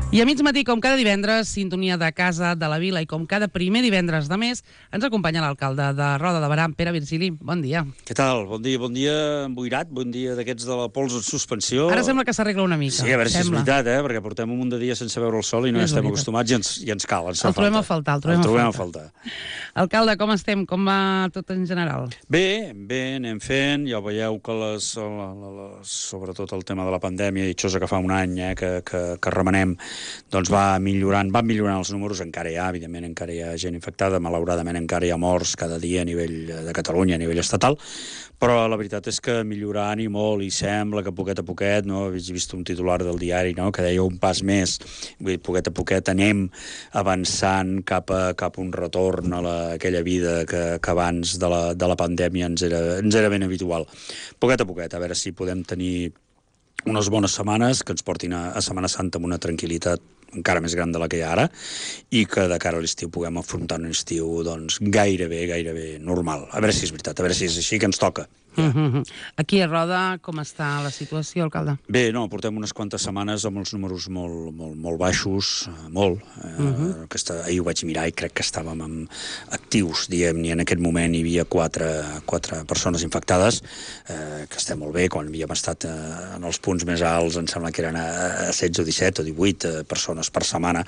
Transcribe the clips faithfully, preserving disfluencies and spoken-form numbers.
I a mig matí, com cada divendres, sintonia de Casa de la Vila, i com cada primer divendres de mes, ens acompanya l'alcalde de Roda de Berà, Pere Virgili. Bon dia. Què tal? Bon dia, bon dia emboirat, bon dia d'aquests de la pols en suspensió. Ara sembla que s'arregla una mica. Sí, a veure si sembla. és veritat, eh? Perquè portem un munt de dies sense veure el sol i no És estem veritat. acostumats i ens, i ens cal, ens fa El trobem falta. a faltar, el trobem, el trobem a a faltar. Alcalde, com estem? Com va tot en general? Bé, bé, anem fent. Ja veieu que les, la, la, la, sobretot el tema de la pandèmia, i això és que fa un any eh, que, que, que remenem, doncs va millorant, van millorant els números. Encara hi ha, evidentment, encara hi ha gent infectada, malauradament encara hi ha morts cada dia a nivell de Catalunya, a nivell estatal, però la veritat és que millorant i molt, i sembla que poquet a poquet, no? He vist un titular del diari, no?, que deia un pas més, vull dir, poquet a poquet anem avançant cap a, cap a un retorn a la, aquella vida que, que abans de la, de la pandèmia ens era, ens era ben habitual. Poquet a poquet, a veure si podem tenir unes bones setmanes que ens portin a, a Setmana Santa amb una tranquil·litat encara més gran de la que hi ha ara, i que de cara a l'estiu puguem afrontar un estiu doncs, gairebé, gairebé normal. A veure si és veritat, a veure si és així que ens toca. Ja. Mm-hmm. Aquí a Roda, com està la situació, alcalde? Bé, no, portem unes quantes setmanes amb els números molt, molt, molt baixos, molt. Eh, Mm-hmm. aquesta, ahir ho vaig mirar i crec que estàvem amb actius, diguem, i en aquest moment hi havia quatre, quatre persones infectades, eh, que estem molt bé. Quan havíem estat eh, en els punts més alts, em sembla que eren a, a setze o disset o divuit eh, persones per setmana,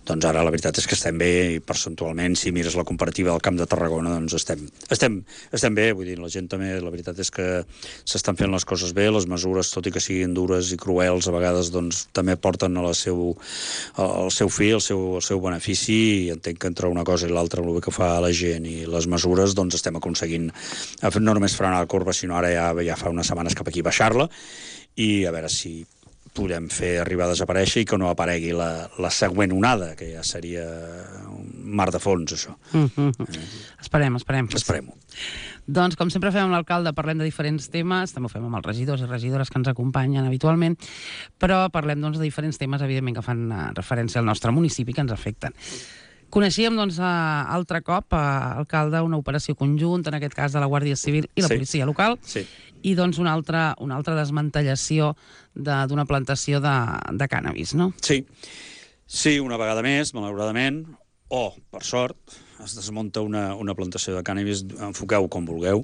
doncs ara la veritat és que estem bé, i percentualment, si mires la comparativa del Camp de Tarragona, doncs estem, estem, estem bé, vull dir, la gent també, la veritat és que s'estan fent les coses bé, les mesures, tot i que siguin dures i cruels, a vegades doncs, també porten a la seu, al seu fi, el seu, el seu benefici, i entenc que entre una cosa i l'altra, el bé que fa la gent i les mesures, doncs estem aconseguint no només frenar la corba, sinó ara ja, ja fa unes setmanes cap aquí baixar-la, i a veure si podem fer arribar a desaparèixer i que no aparegui la, la següent onada, que ja seria un mar de fons, això. Mm-hmm. Eh. Esperem, esperem. Esperem-ho. Doncs, com sempre fem amb l'alcalde, parlem de diferents temes, també ho fem amb els regidors i regidores que ens acompanyen habitualment, però parlem doncs, de diferents temes, evidentment, que fan referència al nostre municipi, que ens afecten. Coneixíem, doncs, altre cop, alcalde, una operació conjunta, en aquest cas de la Guàrdia Civil i la Sí. policia local, Sí. i doncs una altra, una altra desmantellació d'una plantació de, de cànnabis, no? Sí. Sí, una vegada més, malauradament, o, per sort, es desmunta una, una plantació de cànnabis, enfoqueu com vulgueu,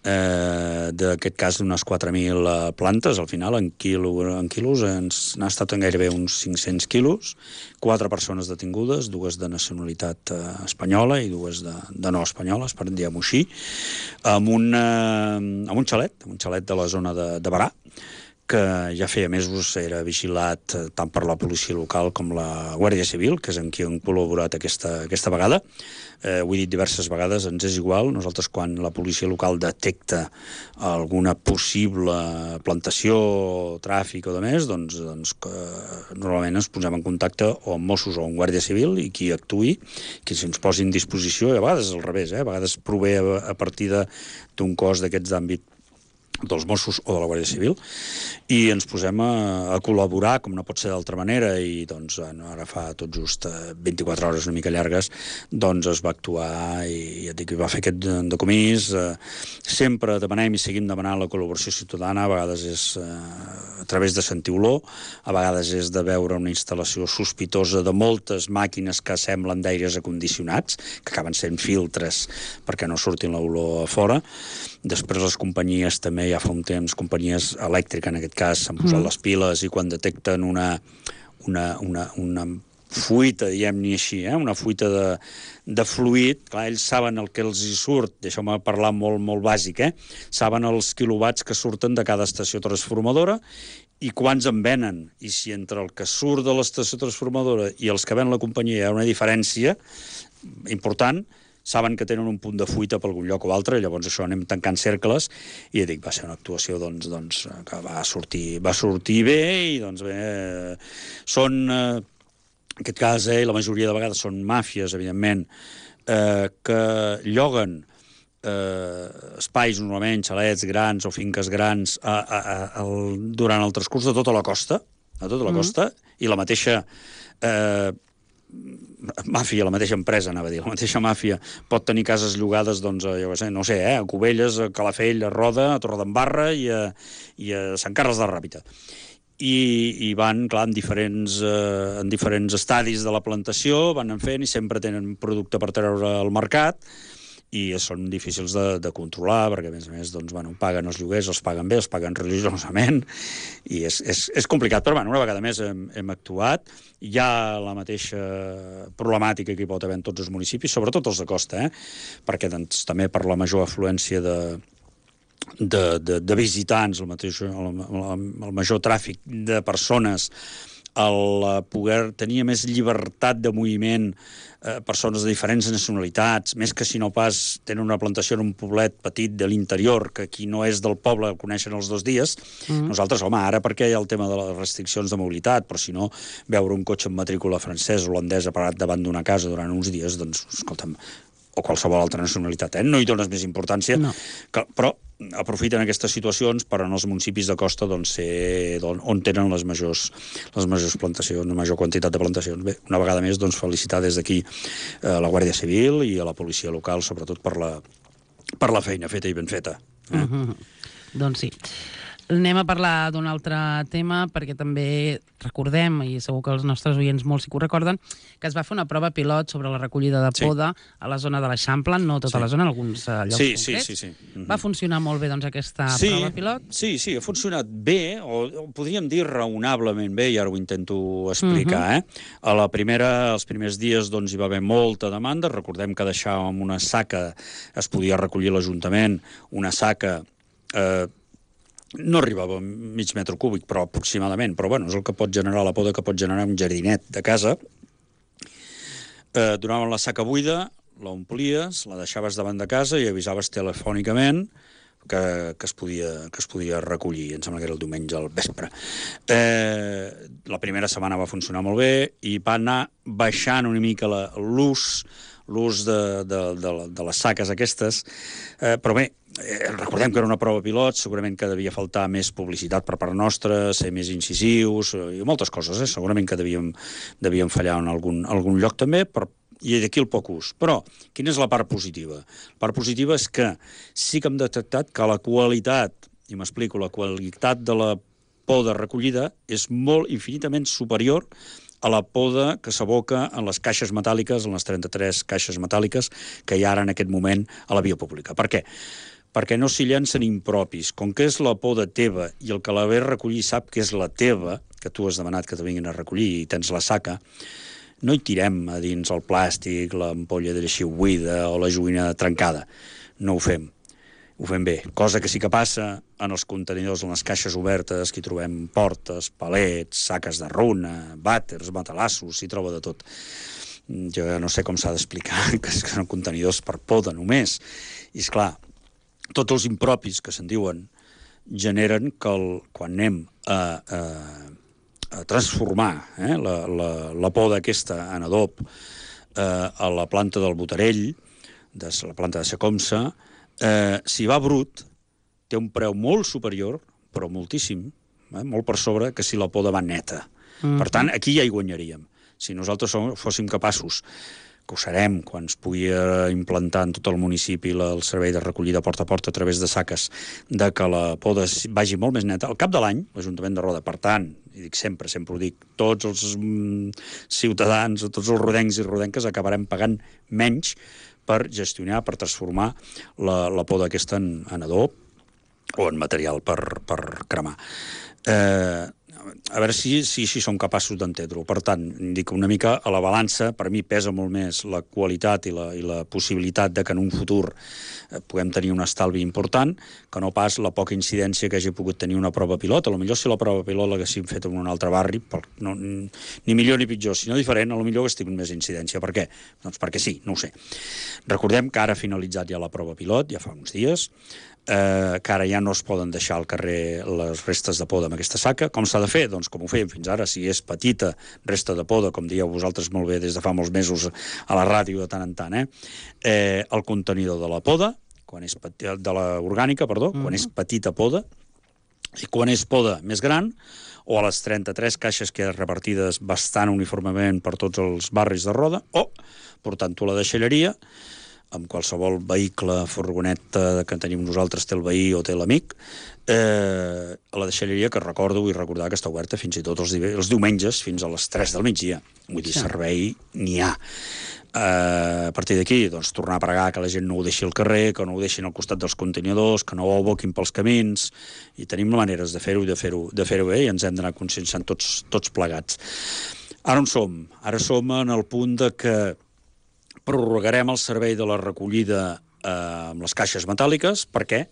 eh, d'aquest cas d'unes quatre mil plantes, al final, en, quilo, en quilos, ens n'ha estat en gairebé uns cinc-cents quilos, quatre persones detingudes, dues de nacionalitat eh, espanyola i dues de, de no espanyoles, per dir-ho així, amb, una, amb un xalet, amb un xalet de la zona de, de Berà, que ja feia mesos era vigilat tant per la policia local com la Guàrdia Civil, que és amb qui han col·laborat aquesta, aquesta vegada. Eh, ho he dit diverses vegades, ens és igual. Nosaltres, quan la policia local detecta alguna possible plantació, tràfic o de més, doncs, doncs que normalment ens posem en contacte o amb Mossos o amb Guàrdia Civil, i qui actuï, qui se'ns posi en disposició, i a vegades és al revés, eh? A vegades prové a, a partir d'un cos d'aquests d'àmbit dels Mossos o de la Guàrdia Civil, i ens posem a, a col·laborar, com no pot ser d'altra manera, i doncs ara fa tot just vint-i-quatre hores una mica llargues, doncs es va actuar i ja et dic, va fer aquest decomís. Eh, sempre demanem i seguim demanant la col·laboració ciutadana, a vegades és eh, a través de sentir olor, a vegades és de veure una instal·lació sospitosa de moltes màquines que semblen d'aires acondicionats, que acaben sent filtres perquè no surtin l'olor a fora. Després les companyies també, ja fa un temps, companyies elèctriques en aquest cas, s'han posat mm. les piles, i quan detecten una, una, una, una fuita, diguem-ne així, eh? una fuita de, de fluid, clar, ells saben el que els hi surt, deixeu-me parlar molt, molt bàsic, eh? Saben els quilowatts que surten de cada estació transformadora i quants en venen, i si entre el que surt de l'estació transformadora i els que ven la companyia hi ha una diferència important, saben que tenen un punt de fuita per algun lloc o altre, i llavors això anem tancant cercles, i dic, va ser una actuació doncs, doncs, que va sortir, va sortir bé, i doncs bé, són, eh, en aquest cas, eh, la majoria de vegades són màfies, evidentment, eh, que lloguen eh, espais, normalment, xalets grans o finques grans, a, a, a, a, durant el transcurs de tota la costa, a tota la mm. costa, i la mateixa eh, màfia, la mateixa empresa, anava a dir, la mateixa màfia pot tenir cases llogades, doncs, a, jo sé, no sé, eh, a Cubelles, a Calafell, a Roda, a Torredembarra i a, i a Sant Carles de la Ràpita. i, i van, clar, en diferents, eh, en diferents estadis de la plantació, van anar fent i sempre tenen producte per treure al mercat, i són difícils de, de controlar, perquè, a més a més, doncs, bueno, paguen els lloguers, els paguen bé, els paguen religiosament, i és, és, és complicat. Però, bueno, una vegada més hem, hem actuat. Hi ha la mateixa problemàtica que hi pot haver en tots els municipis, sobretot els de costa, eh? perquè doncs, també per la major afluència de, de, de, de visitants, el, mateix, el, el major tràfic de persones, el poder tenir més llibertat de moviment, eh, persones de diferents nacionalitats, més que si no pas tenen una plantació en un poblet petit de l'interior, que qui no és del poble el coneixen els dos dies. Mm. Nosaltres, home, ara perquè hi ha el tema de les restriccions de mobilitat, però si no, veure un cotxe amb matrícula francès o holandesa parat davant d'una casa durant uns dies, doncs, escolta'm, o qualsevol altra nacionalitat, eh? No hi dones més importància, no. que, però aprofiten aquestes situacions per en els municipis de costa doncs, ser, on, on tenen les majors, les majors plantacions, la major quantitat de plantacions. Bé, una vegada més, doncs, felicitar des d'aquí a la Guàrdia Civil i a la policia local, sobretot per la, per la feina feta i ben feta. Eh? Uh-huh. Doncs sí. Anem a parlar d'un altre tema, perquè també recordem, i segur que els nostres oients molts sí que ho recorden, que es va fer una prova pilot sobre la recollida de poda sí. a la zona de l'Eixample, no tota sí. la zona, en alguns uh, llocs sí, concrets. Sí, sí, sí. Mm-hmm. Va funcionar molt bé, doncs, aquesta sí, prova pilot? Sí, sí, ha funcionat bé, o, o podríem dir raonablement bé, i ara ho intento explicar. Mm-hmm. eh? A la primera, els primers dies doncs, hi va haver molta demanda. Recordem que deixàvem una saca, es podia recollir l'Ajuntament, una saca... Eh, no arribava a mig metre cúbic, però aproximadament, però bueno, és el que pot generar la poda que pot generar un jardinet de casa. Eh, donaven la saca buida, l'omplies, la deixaves davant de casa i avisaves telefònicament que, que, es podia, que es podia recollir. Em sembla que era el diumenge al vespre. Eh, la primera setmana va funcionar molt bé i va anar baixant una mica l'ús l'ús de, de, de, de les saques aquestes, eh, però bé, eh, recordem que era una prova pilot, segurament que devia faltar més publicitat per part nostra, ser més incisius, eh, i moltes coses, eh? Segurament que devíem, devíem fallar en algun, algun lloc també, però i d'aquí el poc ús. Però, quina és la part positiva? La part positiva és que sí que hem detectat que la qualitat, i m'explico, la qualitat de la poda recollida és molt infinitament superior a la poda que s'aboca en les caixes metàl·liques, en les trenta-tres caixes metàl·liques que hi ha ara en aquest moment a la via pública. Per què? Perquè no s'hi llancen impropis. Com que és la poda teva i el que la ve a recollir sap que és la teva, que tu has demanat que te vinguin a recollir i tens la saca, no hi tirem a dins el plàstic, l'ampolla de lleixiu buida o la joguina trencada. No ho fem. Ho fem bé. Cosa que sí que passa en els contenidors, en les caixes obertes, que hi trobem portes, palets, saques de runa, vàters, matalassos, s'hi troba de tot. Jo no sé com s'ha d'explicar que són contenidors per poda només. I, esclar, tots els impropis que se'n diuen generen que el, quan anem a, a, a transformar eh, la, la, la poda aquesta en adob eh, a la planta del Botarell, de la planta de Secomsa, Eh, si va brut, té un preu molt superior, però moltíssim, eh, molt per sobre, que si la poda va neta. Mm-hmm. Per tant, aquí ja hi guanyaríem. Si nosaltres som, fóssim capaços, que ho serem, quan es pugui implantar en tot el municipi la, el servei de recollida porta a porta a través de saques, de que la poda vagi molt més neta, al cap de l'any, l'Ajuntament de Roda, per tant, i dic sempre, sempre ho dic, tots els mm, ciutadans, tots els rodencs i rodenques acabarem pagant menys per gestionar, per transformar la, la poda aquesta en, en adob o en material per, per cremar. Eh, a veure si, si, si som capaços d'entendre-ho. Per tant, dic una mica a la balança, per mi pesa molt més la qualitat i la, i la possibilitat de que en un futur eh, puguem tenir un estalvi important, que no pas la poca incidència que hagi pogut tenir una prova pilot. A lo millor si la prova pilot l'haguéssim fet en un altre barri, per, no, ni millor ni pitjor, sinó diferent, a lo millor hagués tingut més incidència. Per què? Doncs perquè sí, no ho sé. Recordem que ara ha finalitzat ja la prova pilot, ja fa uns dies, eh, que ara ja no es poden deixar al carrer les restes de poda amb aquesta saca. Com s'ha de fer? Doncs com ho fèiem fins ara, si és petita resta de poda, com dieu vosaltres molt bé des de fa molts mesos a la ràdio de tant en tant, eh? Eh, el contenidor de la poda, quan és peti, de la orgànica, perdó, mm-hmm. quan és petita poda, i quan és poda més gran, o a les trenta-tres caixes que hi ha repartides bastant uniformement per tots els barris de Roda, o portant-ho a la deixalleria, amb qualsevol vehicle, furgoneta que tenim nosaltres, té el veí o té l'amic, eh, a la deixalleria, que recordo, vull recordar que està oberta fins i tot els, els diumenges, fins a les tres del migdia. Vull dir, sí. Servei n'hi ha. Uh, a partir d'aquí, doncs, tornar a pregar que la gent no ho deixi al carrer, que no ho deixin al costat dels contenidors, que no ho aboquin pels camins, i tenim maneres de fer-ho i de fer-ho de fer-ho bé, i ens hem d'anar conscienciant tots, tots plegats. Ara on som? Ara som en el punt de que prorrogarem el servei de la recollida eh, amb les caixes metàl·liques. Per què?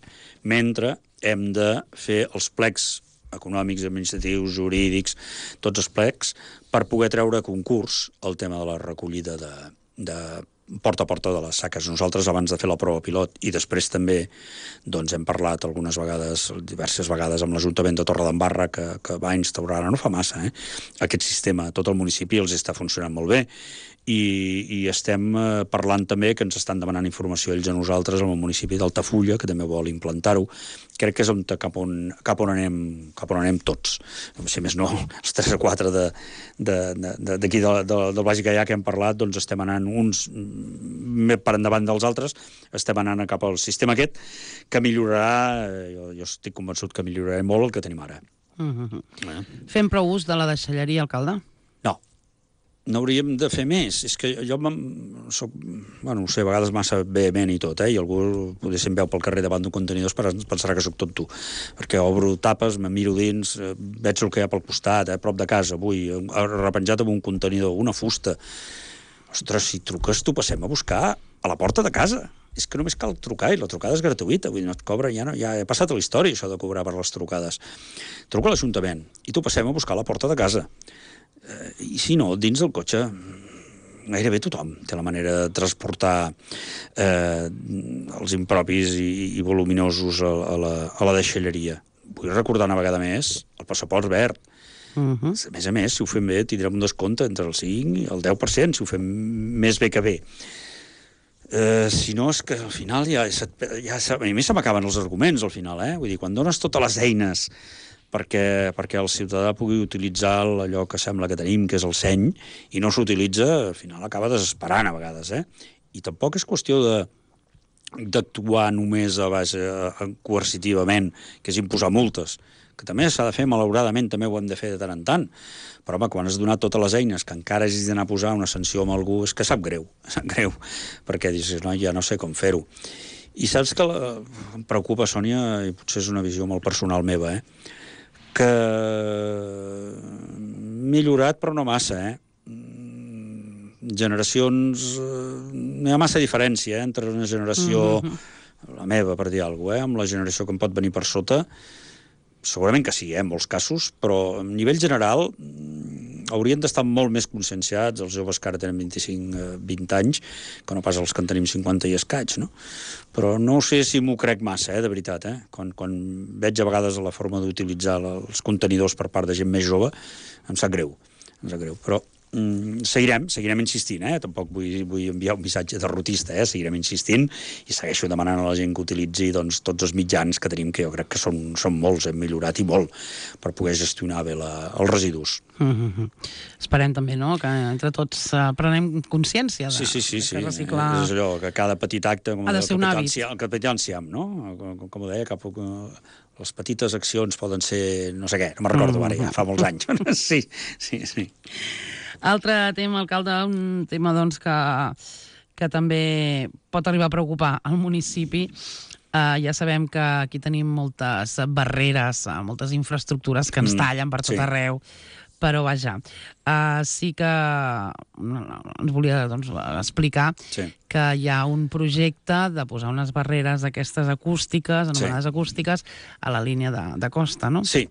Mentre hem de fer els plecs econòmics, administratius, jurídics, tots els plecs, per poder treure a concurs el tema de la recollida de, de porta a porta de les saques. Nosaltres, abans de fer la prova pilot, i després també doncs, hem parlat algunes vegades, diverses vegades, amb l'Ajuntament de Torredembarra, que, que va instaurar, no fa massa, eh, aquest sistema. Tot el municipi els està funcionant molt bé, i, i estem eh, parlant també, que ens estan demanant informació ells a nosaltres, al municipi d'Altafulla, que també vol implantar-ho. Crec que és on, cap, on, cap, on anem, cap on anem tots. Si més no, els tres o quatre d'aquí de, de, de, de, de, del Baix Gaià que hem parlat, doncs estem anant uns per endavant dels altres, estem anant cap al sistema aquest, que millorarà, jo, jo estic convençut que millorarà molt el que tenim ara. Uh-huh. eh? Fem prou ús de la deixalleria, alcalde? No. No hauríem de fer més. És que jo soc, bueno, no sé, a vegades massa vehement i tot, eh? I algú potser em veu pel carrer davant d'un contenidor pensarà que sóc tonto, perquè obro tapes, me miro dins, veig el que hi ha pel costat, eh? Prop de casa, avui, repenjat amb un contenidor, una fusta. Ostres, si truques, t'ho passem a buscar a la porta de casa. És que només cal trucar, i la trucada és gratuïta, vull dir, no et cobra, ja, no, ja he passat a la història, això de cobrar per les trucades. Truca a l'Ajuntament i t'ho passem a buscar a la porta de casa. Eh, I si no, dins del cotxe, gairebé tothom té la manera de transportar eh, els impropis i, i voluminosos a, a, la, a la deixalleria. Vull recordar una vegada més el passaport verd. Uh-huh. A més a més, si ho fem bé, tindrem un descompte entre el cinc i el deu per cent, si ho fem més bé que bé. Eh, si no, és que al final ja, ja a mi se m'acaben els arguments, al final, eh? Vull dir, quan dones totes les eines perquè, perquè el ciutadà pugui utilitzar allò que sembla que tenim, que és el seny, i no s'utilitza, al final acaba desesperant a vegades, eh? I tampoc és qüestió de d'actuar només a base a, coercitivament, que és imposar multes, que també s'ha de fer, malauradament, també ho hem de fer de tant en tant. Però, home, quan has donat totes les eines que encara hagis d'anar a posar una sanció amb algú, és que sap greu, sap greu, perquè dius, no, ja no sé com fer-ho. I saps que la, em preocupa, Sònia, i potser és una visió molt personal meva, eh? Que millorat, però no massa, eh? Generacions... No hi ha massa diferència, eh? Entre una generació, mm-hmm. la meva, per dir alguna cosa, eh? Amb la generació que em pot venir per sota. Segurament que sí, eh? En molts casos, però a nivell general haurien d'estar molt més conscienciats els joves que ara tenen vint-i-cinc vint anys, que no pas els que en tenim cinquanta i escaig, no? Però no sé si m'ho crec massa, eh, de veritat, eh? Quan, quan veig a vegades la forma d'utilitzar els contenidors per part de gent més jove, em sap greu, em sap greu, però mm, seguirem, seguirem insistint, eh? Tampoc vull, vull enviar un missatge derrotista, eh? Seguirem insistint i segueixo demanant a la gent que utilitzi doncs, tots els mitjans que tenim, que jo crec que són, són molts, hem millorat i molt per poder gestionar bé la, els residus. Mm-hmm. Esperem també, no?, que entre tots uh, prenem consciència de, sí, sí, sí, de sí. reciclar... És allò, que cada petit acte... Com ha de ser un hàbit. El capità Enciam, no? Com, com ho deia, cap... les petites accions poden ser... no sé què, no me'n recordo ara, ja fa molts anys. Sí, sí, sí. Altre tema, alcalde, un tema doncs, que, que també pot arribar a preocupar el municipi. Uh, ja sabem que aquí tenim moltes barreres, uh, moltes infraestructures que ens tallen per tot sí. arreu, però vaja, uh, sí que ens volia doncs, explicar sí. que hi ha un projecte de posar unes barreres d'aquestes acústiques, anomenades sí. acústiques, a la línia de, de costa, no? Sí.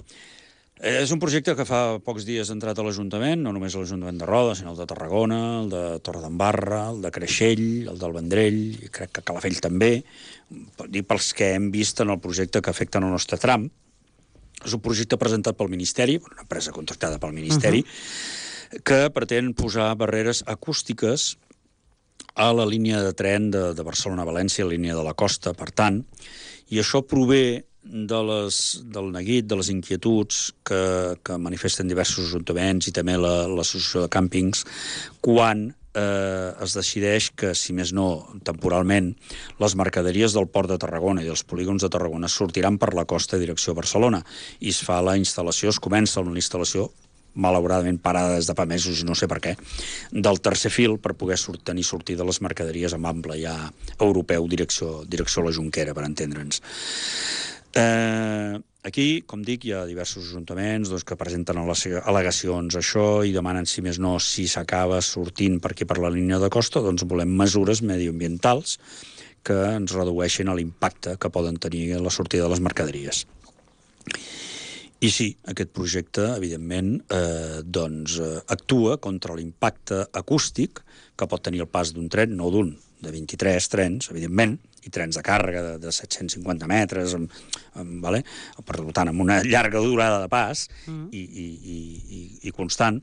És un projecte que fa pocs dies ha entrat a l'Ajuntament, no només a l'Ajuntament de Roda, sinó el de Tarragona, el de Torredembarra, el de Creixell, el del Vendrell, i crec que Calafell també, dir pels que hem vist en el projecte que afecten el nostre tram. És un projecte presentat pel Ministeri, una empresa contractada pel Ministeri, uh-huh. que pretén posar barreres acústiques a la línia de tren de, de Barcelona-València, la línia de la costa, per tant, i això prové de les, del neguit, de les inquietuds que, que manifesten diversos ajuntaments i també la, l'associació de càmpings, quan eh, es decideix que, si més no, temporalment, les mercaderies del port de Tarragona i dels polígons de Tarragona sortiran per la costa en direcció a Barcelona i es fa la instal·lació, es comença amb la instal·lació malauradament parada des de fa mesos, no sé per què, del tercer fil per poder sort, tenir sortida les mercaderies amb ample ja europeu direcció, direcció a la Jonquera, per entendre'ns. Eh, aquí, com dic, hi ha diversos ajuntaments doncs, que presenten al·legacions a això i demanen, si més no, si s'acaba sortint per aquí per la línia de costa, doncs volem mesures mediambientals que ens redueixin l'impacte que poden tenir la sortida de les mercaderies. I sí, aquest projecte, evidentment, eh, doncs, eh, actua contra l'impacte acústic que pot tenir el pas d'un tren, no d'un, de vint-i-tres trens, evidentment, i trens de càrrega de, de set-cents cinquanta metres, amb, amb, vale? Per tant, amb una llarga durada de pas mm. i, i, i, i constant,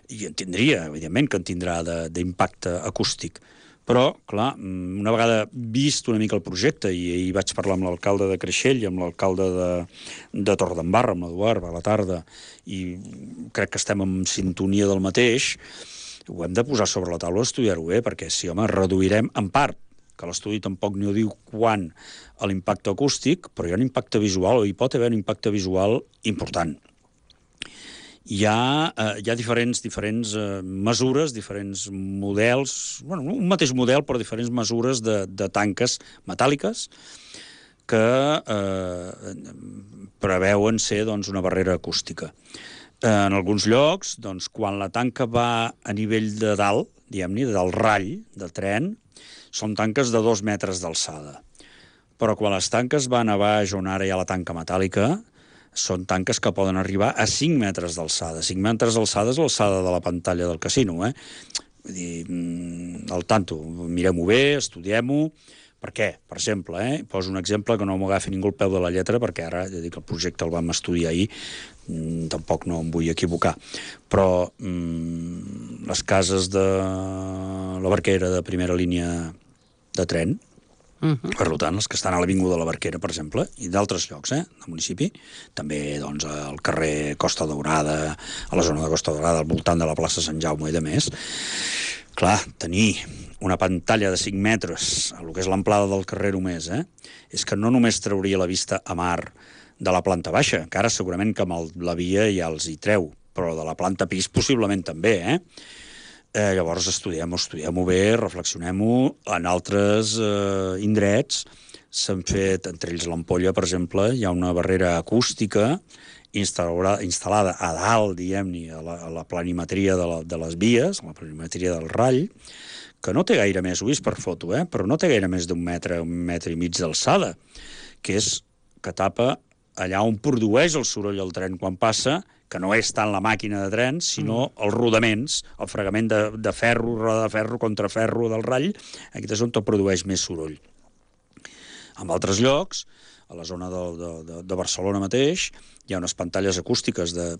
i en tindria, evidentment, que en tindrà d'impacte acústic. Però, clar, una vegada vist una mica el projecte, i ahir vaig parlar amb l'alcalde de Creixell i amb l'alcalde de, de Torredembarra, amb l'Eduard, a la tarda, i crec que estem en sintonia del mateix, ho hem de posar sobre la taula, estudiar-ho bé, perquè si, home, reduirem en part, que l'estudi tampoc ni ho diu quan, a l'impacte acústic, però hi ha un impacte visual, o hi pot haver un impacte visual important. Hi ha, eh, hi ha diferents, diferents eh, mesures, diferents models, bueno, un mateix model, però diferents mesures de, de tanques metàl·liques que eh, preveuen ser doncs, una barrera acústica. Eh, en alguns llocs, doncs, quan la tanca va a nivell de dalt, diguem-ne, del rall de tren, són tanques de dos metres d'alçada. Però quan les tanques van a baix, on ara hi ha la tanca metàl·lica, són tanques que poden arribar a cinc metres d'alçada. cinc metres d'alçada és l'alçada de la pantalla del casino, eh? Vull dir, al tanto, mirem-ho bé, estudiem-ho. Per què? Per exemple, eh? Poso un exemple que no m'agafi ningú el peu de la lletra, perquè ara, ja dic, el projecte el vam estudiar ahir, mm, tampoc no em vull equivocar. Però mm, les cases de la Barquera de primera línia de tren, Uh-huh. per tant, els que estan a l'Avinguda de la Barquera, per exemple, i d'altres llocs, eh, del municipi, també, doncs, al carrer Costa Daurada, a la zona de Costa Daurada, al voltant de la plaça Sant Jaume i de més. Clar, tenir una pantalla de cinc metres, a lo que és l'amplada del carrer només, eh, és que no només trauria la vista a mar de la planta baixa, que ara segurament que amb el, la via ja els hi treu, però de la planta pis possiblement també, eh? Eh, llavors estudiem-ho, estudiem-ho bé, reflexionem-ho. En altres eh, indrets s'han fet, entre ells l'Ampolla, per exemple, hi ha una barrera acústica instal·lada a dalt, diguem-ne, a, la, a la planimetria de, la, de les vies, a la planimetria del rall, que no té gaire més, ho he vist per foto, eh? Però no té gaire més d'un metre, un metre i mig d'alçada, que és que tapa allà on produeix el soroll el tren quan passa, que no és tant la màquina de tren, sinó els rodaments, el fregament de, de ferro, roda de ferro contra ferro del rall, aquí és on tot produeix més soroll. En altres llocs, a la zona de, de, de Barcelona mateix, hi ha unes pantalles acústiques de,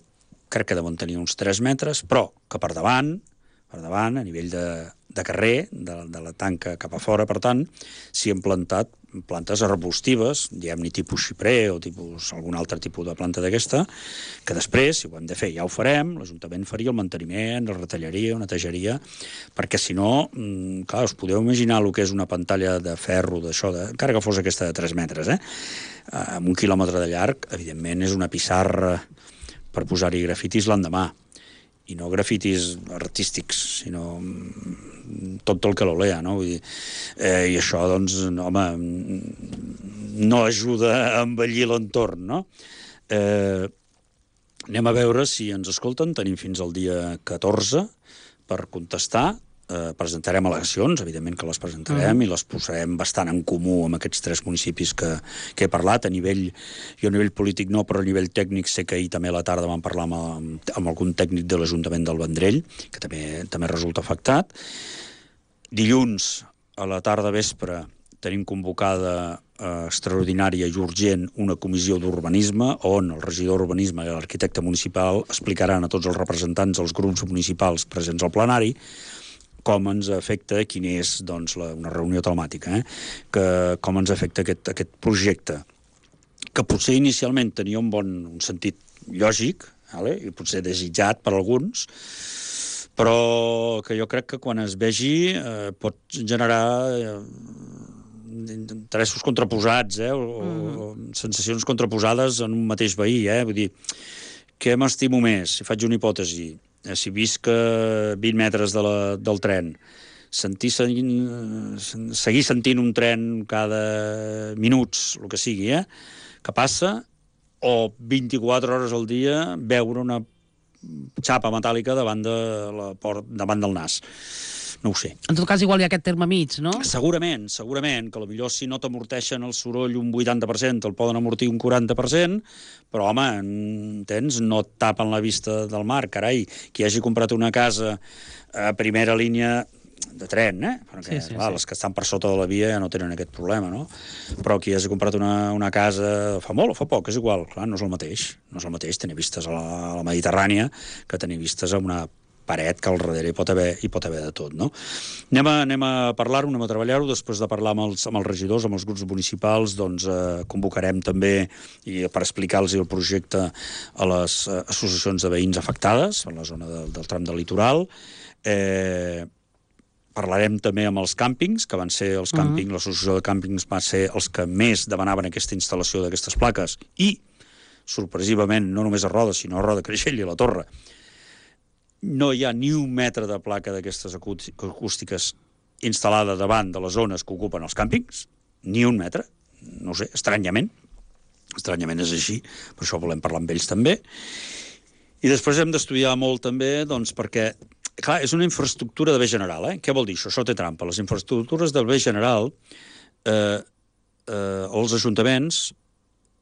crec que deuen tenir uns tres metres, però que per davant, per davant, a nivell de, de carrer, de, de la tanca cap a fora, per tant, s'hi han plantat plantes arbustives, diguem-ne tipus xiprer o tipus, algun altre tipus de planta d'aquesta, que després, si ho hem de fer, ja ho farem, l'Ajuntament faria el manteniment, la retallaria, la netejaria, perquè si no, clar, us podeu imaginar el que és una pantalla de ferro, d'això, de, encara que fos aquesta de tres metres, eh? Amb un quilòmetre de llarg, evidentment és una pissarra per posar-hi grafitis l'endemà, i no grafitis artístics, sinó tot el que l'olea, no? Vull dir, eh, i això, doncs, home, no ajuda a embellir l'entorn, no? Eh, anem a veure si ens escolten. Tenim fins al dia catorze per contestar. Eh, presentarem al·legacions, evidentment que les presentarem, mm. i les posarem bastant en comú amb aquests tres municipis que, que he parlat. A nivell, jo a nivell polític no, però a nivell tècnic sé que ahir també a la tarda vam parlar amb, amb algun tècnic de l'Ajuntament del Vendrell, que també, també resulta afectat. Dilluns, a la tarda vespre, tenim convocada eh, extraordinària i urgent una comissió d'urbanisme on el regidor d'urbanisme i l'arquitecte municipal explicaran a tots els representants dels grups municipals presents al plenari com ens afecta, quin és, doncs, la, una reunió telemàtica, eh? que, com ens afecta aquest, aquest projecte, que potser inicialment tenia un bon un sentit lògic, vale? I potser desitjat per alguns, però que jo crec que quan es vegi eh, pot generar eh, interessos contraposats, eh, o, mm. o sensacions contraposades en un mateix veí, eh? Vull dir, què m'estimo més? Si faig una hipòtesi, eh, si visc a vint metres de la, del tren, sentir, seguir sentint un tren cada minuts, el que sigui, eh, que passa, o vint-i-quatre hores al dia veure una xapa metàl·lica davant, de la port, davant del nas. No ho sé. En tot cas, igual hi ha aquest terme mig, no? Segurament, segurament, que potser si no t'amorteixen el soroll un vuitanta per cent, te'l poden amortir un quaranta per cent, però, home, entens? No et tapen la vista del mar, carai. Qui hagi comprat una casa a primera línia de tren, eh? Perquè, sí, sí, clar, sí. Les que estan per sota de la via ja no tenen aquest problema, no? Però qui hagi comprat una, una casa fa molt o fa poc, és igual, clar, no és el mateix. No és el mateix tenir vistes a la, a la Mediterrània que tenir vistes a una paret que al darrere hi pot haver, hi pot haver de tot, no? Anem a, anem a parlar-ho, anem a treballar-ho, després de parlar amb els, amb els regidors, amb els grups municipals, doncs eh, convocarem també i per explicar-los el projecte a les eh, associacions de veïns afectades a la zona del, del tram del litoral. Eh, parlarem també amb els càmpings, que van ser els càmpings, uh-huh. l'associació de càmpings va ser els que més demanaven aquesta instal·lació d'aquestes plaques i, sorpresivament, no només a Roda, sinó a Roda, Creixell i a la Torre, no hi ha ni un metre de placa d'aquestes acústiques instal·lada davant de les zones que ocupen els càmpings, ni un metre, no ho sé, estranyament, estranyament és així, per això volem parlar amb ells també, i després hem d'estudiar molt també, doncs, perquè, clar, és una infraestructura de bé general, eh? Què vol dir això? Això té trampa. Les infraestructures del bé general, eh, eh, els ajuntaments,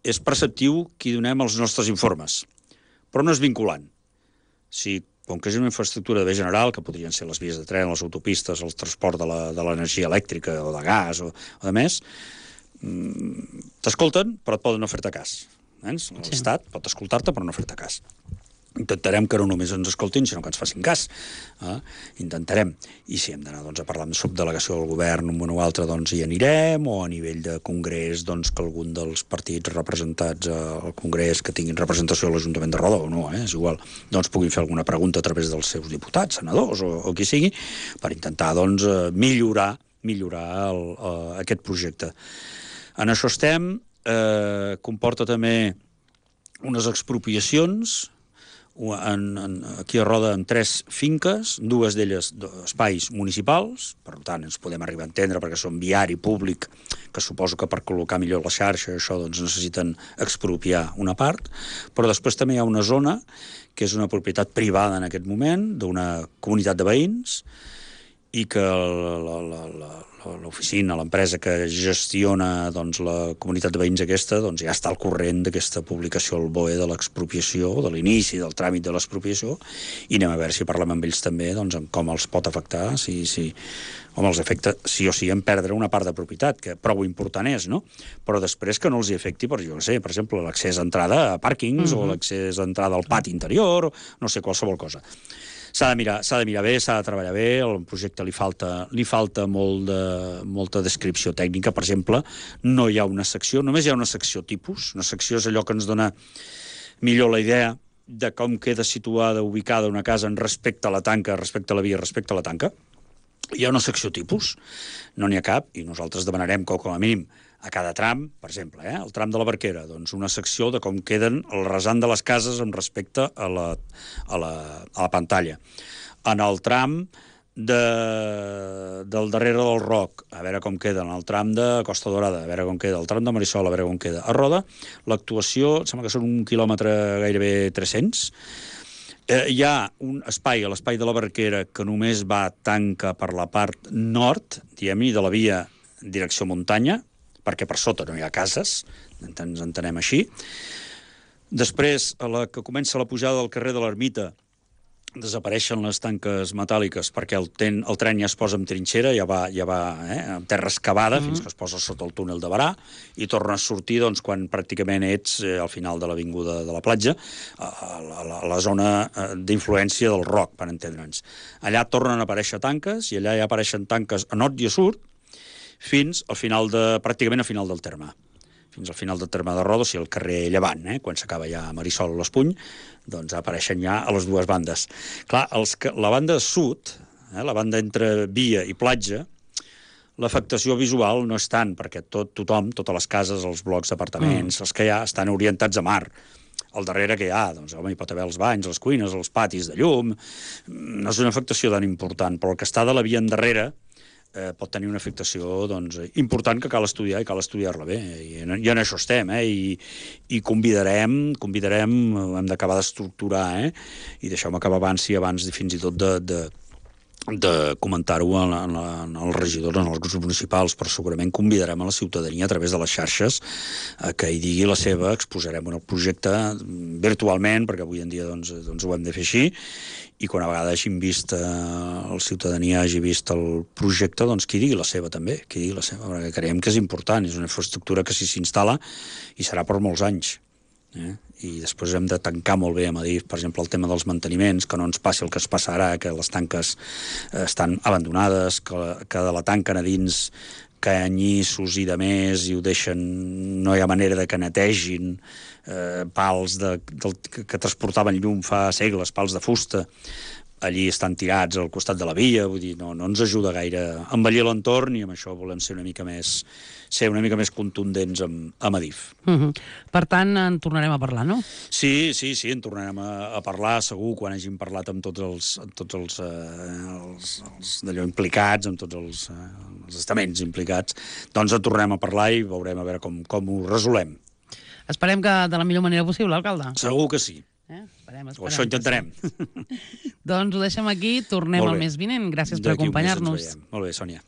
és preceptiu qui donem els nostres informes, però no és vinculant. Si com que és una infraestructura de bé general, que podrien ser les vies de tren, les autopistes, el transport de l'energia elèctrica o de gas o, o de més, t'escolten, però et poden no fer-te cas. L'Estat sí. pot escoltar-te, però no fer-te cas. Intentarem que no només ens escoltin, sinó que ens facin cas. Eh? Intentarem. I si hem d'anar doncs, a parlar amb subdelegació del govern, un o altre, doncs hi anirem, o a nivell de congrés, doncs que algun dels partits representats al congrés que tinguin representació a l'Ajuntament de Roda, o no, eh? és igual, doncs puguin fer alguna pregunta a través dels seus diputats, senadors, o, o qui sigui, per intentar doncs, millorar, millorar el, uh, aquest projecte. En això estem. Eh, comporta també unes expropiacions, En, en, aquí a Roda en tres finques, dues d'elles espais municipals, per tant ens podem arribar a entendre perquè són viari públic, que suposo que per col·locar millor la xarxa això doncs necessiten expropiar una part, però després també hi ha una zona que és una propietat privada en aquest moment d'una comunitat de veïns i que l'oficina, l'empresa que gestiona doncs, la comunitat de veïns aquesta doncs, ja està al corrent d'aquesta publicació al B O E de l'expropiació, de l'inici del tràmit de l'expropiació, i anem a veure si parlem amb ells també doncs, en com els pot afectar, si, si, home, els afecta sí o sí en perdre una part de propietat, que prou important és, no? Però després que no els hi afecti, per, jo no sé, per exemple, l'accés a entrada a pàrquings uh-huh. o l'accés a entrada al pati interior, o no sé, qualsevol cosa. S'ha de mirar, s'ha de mirar bé, s'ha de treballar bé, al projecte li falta, li falta molt de, molta descripció tècnica. Per exemple, no hi ha una secció, només hi ha una secció tipus. Una secció és allò que ens dona millor la idea de com queda situada, ubicada una casa en respecte a la tanca, respecte a la via, respecte a la tanca. Hi ha una secció tipus, no n'hi ha cap, i nosaltres demanarem que, com a mínim, a cada tram, per exemple, eh, el tram de la Barquera, doncs una secció de com queden el rasant de les cases amb respecte a la, a la, a la pantalla. En el tram de, del darrere del Roc, a veure com queda, en el tram de Costa Dorada, a veure com queda, el tram de Marisol, a veure com queda. A Roda, l'actuació, sembla que són un quilòmetre gairebé tres-cents. Eh, hi ha un espai, a l'espai de la Barquera, que només va tanca per la part nord, diguem-hi, de la via direcció muntanya, perquè per sota no hi ha cases, ens entenem així. Després, a la que comença la pujada del carrer de l'Ermita, desapareixen les tanques metàl·liques perquè el, ten, el tren ja es posa en trinxera, ja va, ja va eh, en terra excavada, mm-hmm. fins que es posa sota el túnel de Barà, i torna a sortir doncs, quan pràcticament ets eh, al final de l'avinguda de la platja, a, a, la, a la zona eh, d'influència del Roc, per entendre'ns. Allà tornen a aparèixer tanques, i allà ja apareixen tanques a nord i a sud, fins al final de, pràcticament al final del terme. fins al final del terme de Roda, o sigui, el carrer Llevant, eh? Quan s'acaba ja Marisol l'Espuny, doncs apareixen ja a les dues bandes. Clar, els que, la banda sud, eh? La banda entre via i platja, l'afectació visual no és tant, perquè tot, tothom, totes les cases, els blocs d'apartaments, mm. els que hi ha, estan orientats a mar. Al darrere que hi ha, doncs, home, hi pot haver els banys, les cuines, els patis de llum. No és una afectació tan important, però el que està de la via endarrere eh, pot tenir una afectació doncs, important que cal estudiar i cal estudiar-la bé. I en, i en això estem, eh? I, i convidarem, convidarem, hem d'acabar d'estructurar, eh? I deixeu-me acabar abans i abans fins i tot de... de de comentar-ho en, en, en els regidors, en els grups municipals, però segurament convidarem a la ciutadania a través de les xarxes eh, que hi digui la seva, exposarem el projecte virtualment, perquè avui en dia doncs, doncs ho hem de fer així, i quan a vegades hagin vist, eh, la ciutadania hagi vist el projecte, doncs qui digui la seva també, qui digui la seva, perquè creiem que és important, és una infraestructura que si s'instal·la i serà per molts anys. Eh? I després hem de tancar molt bé a Adif, per exemple, el tema dels manteniments, que no ens passi el que es passa ara, que les tanques eh, estan abandonades, que, que de la tanquen a dins canyissos i de més i ho deixen, no hi ha manera de que netegin, eh, pals de, del, que, que transportaven llum fa segles, pals de fusta, allí estan tirats al costat de la via, vull dir, no, no ens ajuda gaire a embellir l'entorn i amb això volem ser una mica més ser una mica més contundents amb, amb Adif. Uh -huh. Per tant, en tornarem a parlar, no? Sí, sí, sí, en tornarem a, a parlar, segur, quan hàgim parlat amb tots els, amb tots els, eh, els, els d'allò implicats, amb tots els, eh, els estaments implicats, doncs en tornem a parlar i veurem a veure com, com ho resolem. Esperem que de la millor manera possible, alcalde. Segur que sí. Eh? Esperem, esperem. O això intentarem. Sí. Doncs ho deixem aquí, tornem al mes vinent. Gràcies per acompanyar-nos. Molt bé, Sònia.